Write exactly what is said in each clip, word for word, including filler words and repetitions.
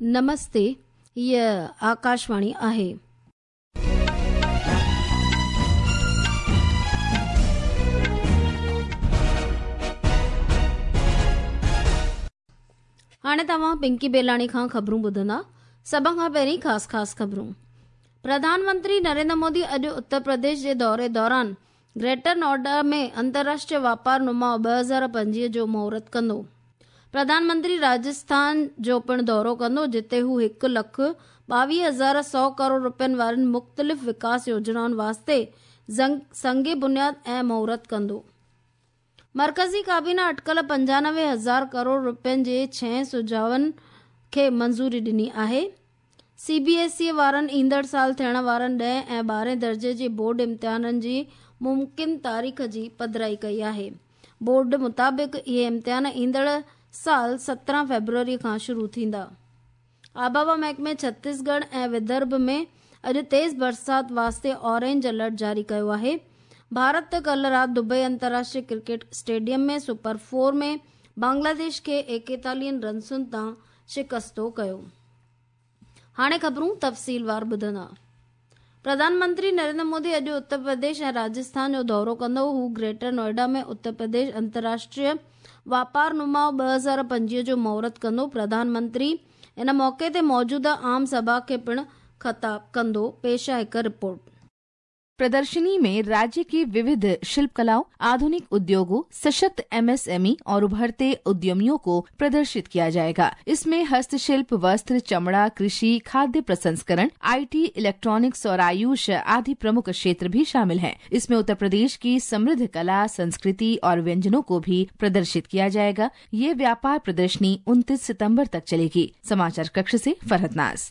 नमस्ते, हीअ आकाशवाणी आहे। हाणे तव्हां पिंकी बेलाणी खां ख़बरूं ॿुधंदा। सभ खां पहिरीं ख़ासि ख़ासि ख़बरूं। प्रधानमंत्री नरेंद्र मोदी अॼु उत्तर प्रदेश जे दौरे दौरान ग्रेटर नोएडा में अंतर्राष्ट्रीय वापार नुमाउ ॿ हज़ार पंजवीह जो मुहूर्त कंदो। प्रधानमंत्री राजस्थान जो पिणु दौरो कंदो, जिते हू हिकु लख ॿावीह हज़ार सौ करोड़ रुपयनि वारनि मुख़्तलिफ़ विकास योजनाउनि वास्ते संग बुनियाद ऐं मुहूर्त कंदो। मरकज़ी काबीना अटकल पंजानवे हज़ार करोड़ रुपयनि जे छह सुझावनि खे मंज़ूरी ॾिनी आहे। सी बी एस ई वारनि ईंदड़ साल थियण वारनि ॾहें ऐं ॿारहें दर्जे जे बोर्ड इम्तिहाननि जी मुमकिन तारीख़ जी पधराई कई आहे। बोर्ड मुताबिक़ इहे इम्तिहान ईंदड़ साल सत्रहं फ़ेब्रुअरी खां शुरू थींदा। आबहवा महकमे छत्तीसगढ़ ऐं विदर्भ में अॼु तेज़ बरसात वास्ते ऑरेंज अलर्ट जारी कयो आहे। भारत कल राति दुबई अंतर्राष्ट्रीय क्रिकेट स्टेडियम में सुपर फोर में बांग्लादेश खे एकेतालीह रनसुनि तां शिकस्तो कयो। हाणे ख़बरूं तफ़सीलवार ॿुधंदा। प्रधानमंत्री नरेंद्र मोदी अॼु उत्तर प्रदेश ऐं राजस्थान जो दौरो कंदो। हू ग्रेटर नोएडा में उत्तर प्रदेश अंतर्राष्ट्रीय वापार नुमाउ ॿ हज़ार पंजवीह जो मुहूर्त कंदो। प्रधानमंत्री इन मौक़े ते मौजूदा आम सभा खे पिणु ख़िताब कंदो। पेश आहे हिकु रिपोर्ट। प्रदर्शनी में राज्य की विविध शिल्प कलाओं, आधुनिक उद्योगों, सशक्त एम एस एम ई और उभरते उद्यमियों को प्रदर्शित किया जाएगा। इसमें हस्तशिल्प, वस्त्र, चमड़ा, कृषि, खाद्य प्रसंस्करण, I T, electronics और आयुष आदि प्रमुख क्षेत्र भी शामिल हैं। इसमें उत्तर प्रदेश की समृद्ध कला, संस्कृति और व्यंजनों को भी प्रदर्शित किया जाएगा। ये व्यापार प्रदर्शनी उनतीस सितम्बर तक चलेगी। समाचार कक्ष से फरहत नाज।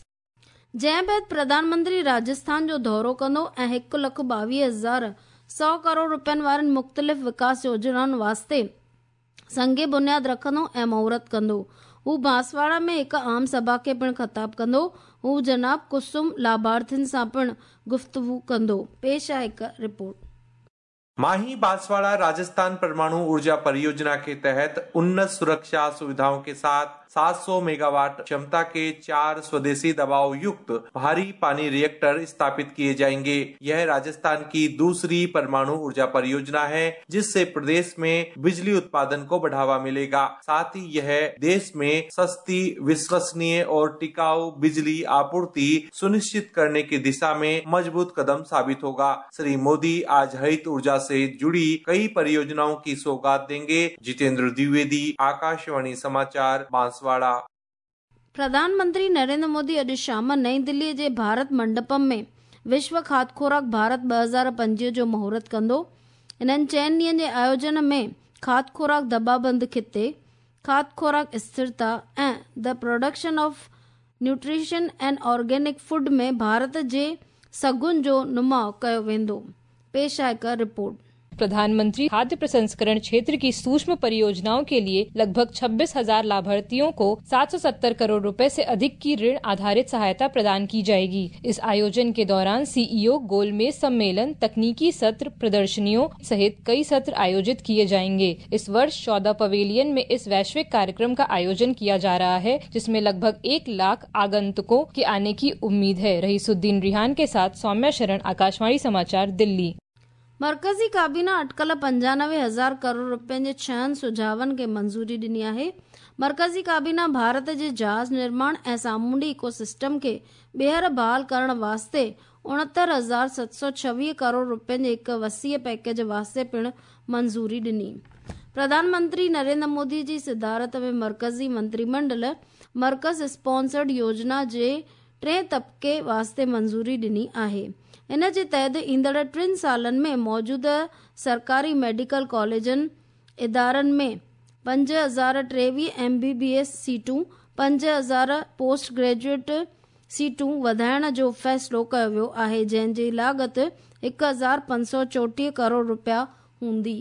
जंहिं बाद प्रधानमंत्री राजस्थान जो दौरो कंदो ऐं हिकु लख ॿावीह हज़ार सौ करोड़ रुपयनि वारनि मुख़्तलिफ़ विकास योजनाउनि वास्ते संग बुनियाद रखंदो ऐं मुहूर्त कंदो। हू बांसवाड़ा में हिकु आम सभा खे पिणु ख़िताब कंदो। हू जनाब कुसुम लाभार्थियुनि सां पिणु गुफ़्तगू कंदो। पेश आहे हिकु रिपोर्ट। माही बांसवाड़ा राजस्थान परमाणु ऊर्जा परियोजना के तहत उन्नत सुरक्षा सुविधाओं के साथ सात सौ मेगावाट क्षमता के चार स्वदेशी दबाव युक्त भारी पानी रिएक्टर स्थापित किए जाएंगे। यह राजस्थान की दूसरी परमाणु ऊर्जा परियोजना है, जिससे प्रदेश में बिजली उत्पादन को बढ़ावा मिलेगा। साथ ही यह देश में सस्ती, विश्वसनीय और टिकाऊ बिजली आपूर्ति सुनिश्चित करने की दिशा में मजबूत कदम साबित होगा। श्री मोदी आज हरित ऊर्जा से जुड़ी कई परियोजनाओं की सौगात देंगे। जितेंद्र द्विवेदी, आकाशवाणी समाचार, बांसवाड़ा। प्रधानमंत्री नरेंद्र मोदी अॼु शाम नई दिल्लीअ जे भारत मंडपम में विश्व खाद्य खुराक भारत ॿ हज़ार पंजवीह जो मुहूर्त कंदो। इन्हनि चइनि ॾींहंनि जे आयोजन में खाद्य खुराक दबाबंद खिते, खाद्य खुराक स्थिरता ऐं the production of nutrition and organic food में भारत जे सघुनि जो नुमाउ कयो वेंदो। पेश आहे हिकु रिपोर्ट। प्रधानमंत्री खाद्य प्रसंस्करण क्षेत्र की सूक्ष्म परियोजनाओं के लिए लगभग छब्बीस हजार लाभार्थियों को सात सौ सत्तर करोड़ रुपए से अधिक की ऋण आधारित सहायता प्रदान की जाएगी। इस आयोजन के दौरान सी ई ओ गोलमेज सम्मेलन, तकनीकी सत्र, प्रदर्शनियों सहित कई सत्र आयोजित किए जाएंगे। इस वर्ष चौदह पवेलियन में इस वैश्विक कार्यक्रम का आयोजन किया जा रहा है, जिसमें लगभग एक लाख आगंतुकों के आने की उम्मीद है। रहीसुद्दीन रिहान के साथ सौम्या शरण, आकाशवाणी समाचार, दिल्ली। मरकज़ी काबीना अटकल पंजानवे हज़ार करोड़ रुपयनि जे छहनि सुझावनि खे मंज़ूरी ॾिनी आहे। मरकज़ी काबीना भारत जे जहाज़ निर्माण ऐं सामुंडी इकोसिस्टम खे ॿीहर बहाल करण वास्ते उणहतरि हज़ार सत सौ छवीह करोड़ रुपयनि जे हिकु वसीअ पैकेज वास्ते पिणु मंज़ूरी ॾिनी। प्रधानमंत्री नरेंद्र मोदी जी सदारत में मरकज़ी मंत्रिमंडल मरकज़ स्पॉन्सर्ड योजना जे टे तबके वास्ते मंज़ूरी ॾिनी आहे। इन जे तहत ईंदड़ टिनि सालनि में मौजूदा सरकारी मेडिकल कॉलेजनि इदारनि में पंज हज़ार टेवीह एम बी बी एस सीटूं, पंज हज़ार पोस्ट ग्रेजुएट सीटूं वधाइण जो फ़ैसिलो कयो वियो आहे, जंहिंजी लागत हिकु हज़ार पंज सौ चोटीह करोड़ रुपया हूंदी।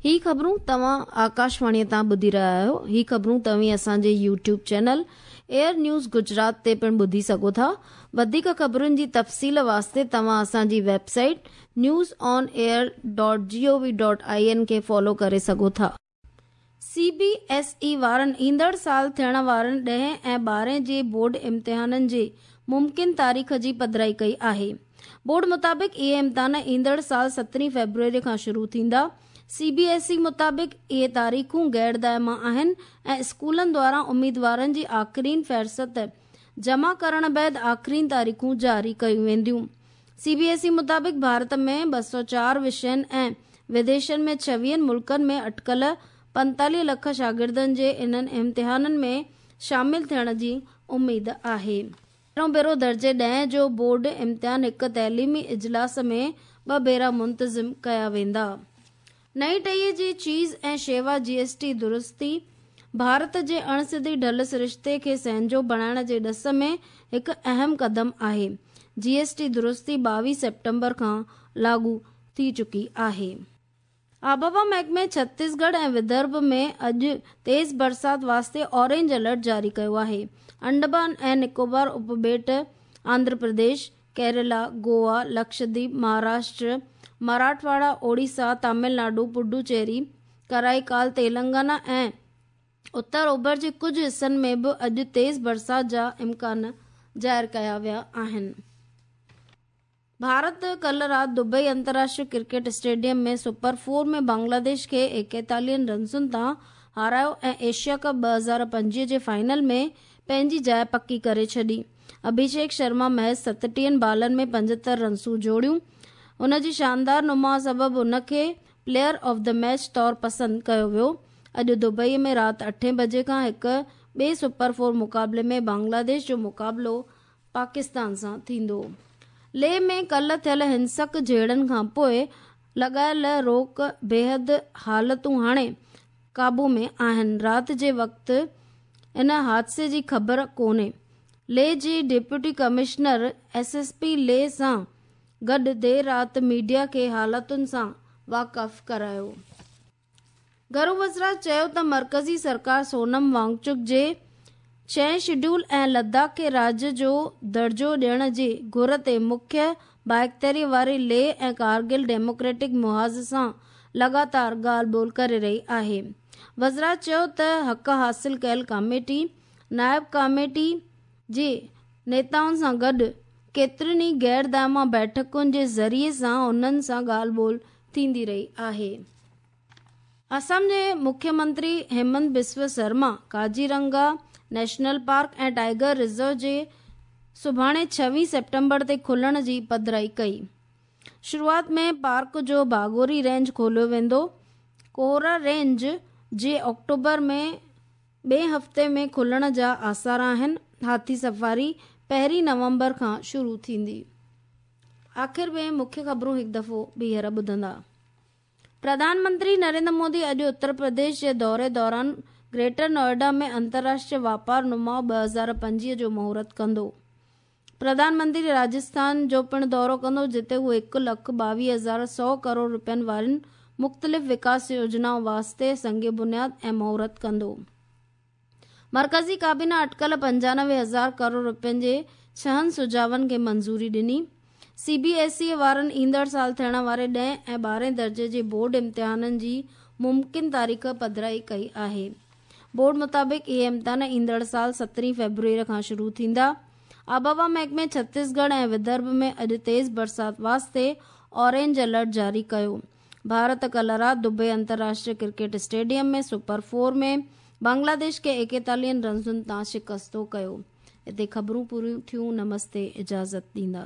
ही ख़बरूं तव्हां आकाशवाणीअ तां ॿुधी रहिया आहियो। ही ख़बरूं तव्हीं असांजे YouTube channel air news Gujarat ते पिणु ॿुधी सघो था। वधीक ख़बरुनि जी तफ़सील वास्ते तव्हां असांजी website news on air dot G O V dot I N खे फॉलो करे सघो था। सी बी एस ई वारनि ईंदड़ साल थियण वारनि ॾहें ऐं ॿारहें जे बोर्ड इम्तिहाननि जी मुमकिन तारीख़ जी पधराई कई आहे। बोर्ड मुताबिक़ इहे इम्तिहान ईंदड़ साल सतरहीं फ़ेब्रुअरी खां शुरू थींदा। सी बी एस ई मुताबिक़ इहे तारीख़ूं गैर दायमा आहिनि ऐं स्कूलनि द्वारा उम्मीदवारनि जी आख़िरीन फ़हरिस्त जमा करण बाद आख़िरीन तारीख़ूं जारी कयूं वेंदियूं। सी बी एस ई मुताबिक़ भारत में ॿ सौ चार विषयनि ऐं विदेशनि में छवीहनि मुल्कनि में अटकल पंतालीह लख शागिर्दनि जे इन्हनि इम्तिहाननि में शामिल थियण जी उमेद आहे। पहिरियों भेरो दर्जे ॾहें जो बोर्ड इम्तिहान हिकु तइलीमी इजलास में ॿ भेरा मुंतज़िम कया वेंदा। नई टीहीअ जी चीज़ ऐं शेवा जी एस टी दुरुस्ती भारत जे अणसिधी ढल सरिश्ते खे सहंजो बणाइण जे ॾस में हिकु अहम क़दम आहे। जी एस टी दुरुस्ती ॿावीह सेप्टेम्बर खां लागू थी चुकी आहे। आबहवा महकमे छत्तीसगढ़ ऐं विदर्भ में अॼु तेज़ बरसात वास्ते ऑरेंज अलर्ट जारी कयो आहे। अंडमान ऐं निकोबार उपॿेट, आंध्र प्रदेश, केरला, गोवा, लक्षद्वीप, महाराष्ट्र, मराठवाड़ा, ओडिशा, तमिलनाडु, पुडुचेरी, कराईकाल, तेलंगाना ऐं उत्तर ओभर जे कुझु हिसनि में बि अॼु तेज़ बरसात जा इम्कान ज़ाहिर कया विया आहिनि। भारत कल राति दुबई अंतर्राष्ट्रीय क्रिकेट स्टेडियम में सुपर फोर में बांग्लादेश खे एकतालीहनि रनसुनि तां हारायो ऐं एशिया कप ॿ हज़ार पंजवीह जे फाइनल में पंहिंजी जाइ पकी करे छॾी। अभिषेक शर्मा महज़ सतटीहनि बालनि में पंजहतरि रनसूं जोड़ियूं। हुन जी शानदार नुमा सबबु हुनखे प्लेयर ऑफ the match तौर पसंदि कयो वियो। अॼु दुबई में राति अठें बजे खां हिकु ॿिए सुपर फोर मुक़ाबले में बांग्लादेश जो मुक़ाबलो पाकिस्तान सां थींदो। लेह में कल थियल हिंसक झेड़नि खां पोइ लॻायल रोक बेहद हालतूं हाणे क़ाबू में आहिनि। राति जे वक़्तु इन हादसे जी ख़बर कोन्हे। लेह जी deputy commissioner S S P Leh सां गॾु देरि राति मीडिया खे हालतुनि सां वाक़िफ़ करायो। घरू वज़रात चयो त मर्कज़ी सरकार सोनम वांगचुक जे छह शेड्यूल ऐं लद्दाख खे राज्य जो दर्जो ॾियण जी घुर ते मुख्य बाइख़्तियारी वारे लेह ऐं कारगिल डेमोक्रेटिक मुहाज़ सां लगातार ॻाल्हि ॿोल करे रही आहे। वज़रात चयो त हक़ हासिल कयल कमेटी नायब कमेटी जे नेताउनि सां गॾु केतिरियुनि ई गैर दायमा बैठकुनि जे ज़रिए सां उन्हनि सां ॻाल्हि ॿोल थींदी रही आहे। असम जे मुख्यमंत्री हेमंत बिस्व शर्मा काजीरंगा नेशनल पार्क ऐं टाइगर रिज़र्व जे सुभाणे छवीह सेप्टेम्बर ते खुलण जी पधराई कई। शुरूआत में पार्क जो बागोरी रेंज खोलियो वेंदो। कोहरा रेंज जे अक्टूबर में ॿिए हफ़्ते में खुलण जा आसार आहिनि। हाथी सफारी पहिरीं नवंबर खां शुरू थींदी। आख़िर में मुख्य ख़बरूं हिकु दफ़ो ॿीहर ॿुधंदा। प्रधानमंत्री नरेंद्र मोदी अॼु उत्तर प्रदेश जे दौरे दौरान ग्रेटर नोएडा में अंतर्राष्ट्रीय वापार नुमाउ ॿ हज़ार पंजवीह जो मुहूर्त कंदो। प्रधानमंत्री राजस्थान जो पिणु दौरो कंदो, जिते हू हिकु लख ॿावीह हज़ार सौ करोड़ रुपयनि वारियुनि मुख़्तलिफ़ विकास योजनाउनि वास्ते संग बुनियाद ऐं मुहूर्त कंदो। मर्कज़ी काबीना अटकल पंजानवे हज़ार करोड़ रुपयनि जे छहनि सुझावनि खे मंज़ूरी ॾिनी। सी बी एस ई वारनि ईंदड़ साल थियण वारे ॾहें ऐं ॿारहें दर्जे जे बोर्ड इम्तिहाननि जी मुमकिन तारीख़ पधराई कई आहे। बोर्ड मुताबिक़ इहे इम्तिहान ईंदड़ साल सतरहीं फ़ेब्रुअरी खां शुरू थींदा। आबहवा महकमे छत्तीसगढ़ ऐं विदर्भ में अॼु तेज़ बरसात वास्ते ऑरेंज अलर्ट जारी कयो। भारत कल राति दुबई अंतर्राष्ट्रीय क्रिकेट स्टेडियम में सुपर फोर में बांग्लादेश खे एकतालीहनि रनसुनि तां शिकस्तो कयो। हिते ख़बरूं पूरियूं थियूं। नमस्ते, इजाज़त ॾींदा।